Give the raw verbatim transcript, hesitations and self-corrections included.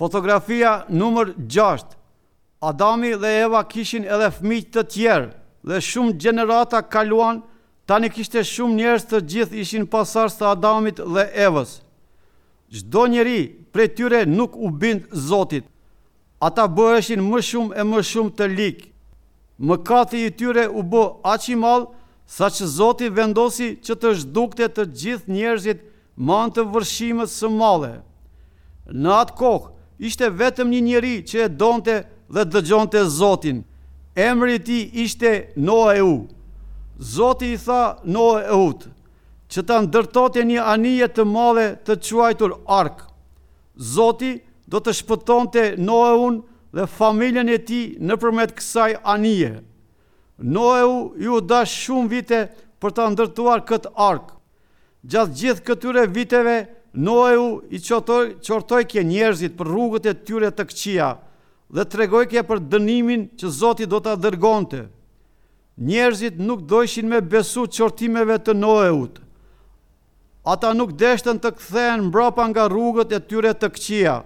Fotografia numër gjashtë. Adami dhe Eva kishin edhe fëmijë të tjerë dhe shumë gjenerata kaluan, tani kishte shumë njerëz, të gjithë ishin pasardhës të Adamit dhe Evës. Çdo njeri prej tyre nuk u bind Zotit. Ata bëheshin më shumë e më shumë të lig. Mëkati i tyre u bë aq i madh saqë Zoti vendosi që të zhdukte të gjithë njerëzit me anë të vërshimës së madhe. Në atë kohë ishte vetëm një njeri që e donte dhe dëgjonte Zotin. Emri i tij ishte Noeu. Zoti i tha Noeut që ta ndërtonte një anije të madhe të quajtur Ark. Zoti do të shpëtonte Noeun dhe familjen e tij nëpërmjet kësaj anije. Noeu iu dash shumë vite për ta ndërtuar këtë arkë. Gjatë gjithë këtyre viteve, Noeu i qortoi, qortojke njerëzit për rrugët e tyre të këqija dhe tregojke për dënimin që Zoti do ta dërgonte. Njerëzit nuk dojshin me besu qortimeve të Noeut. Ata nuk deshtën të kthehen mbrapa nga rrugët e tyre të këqija.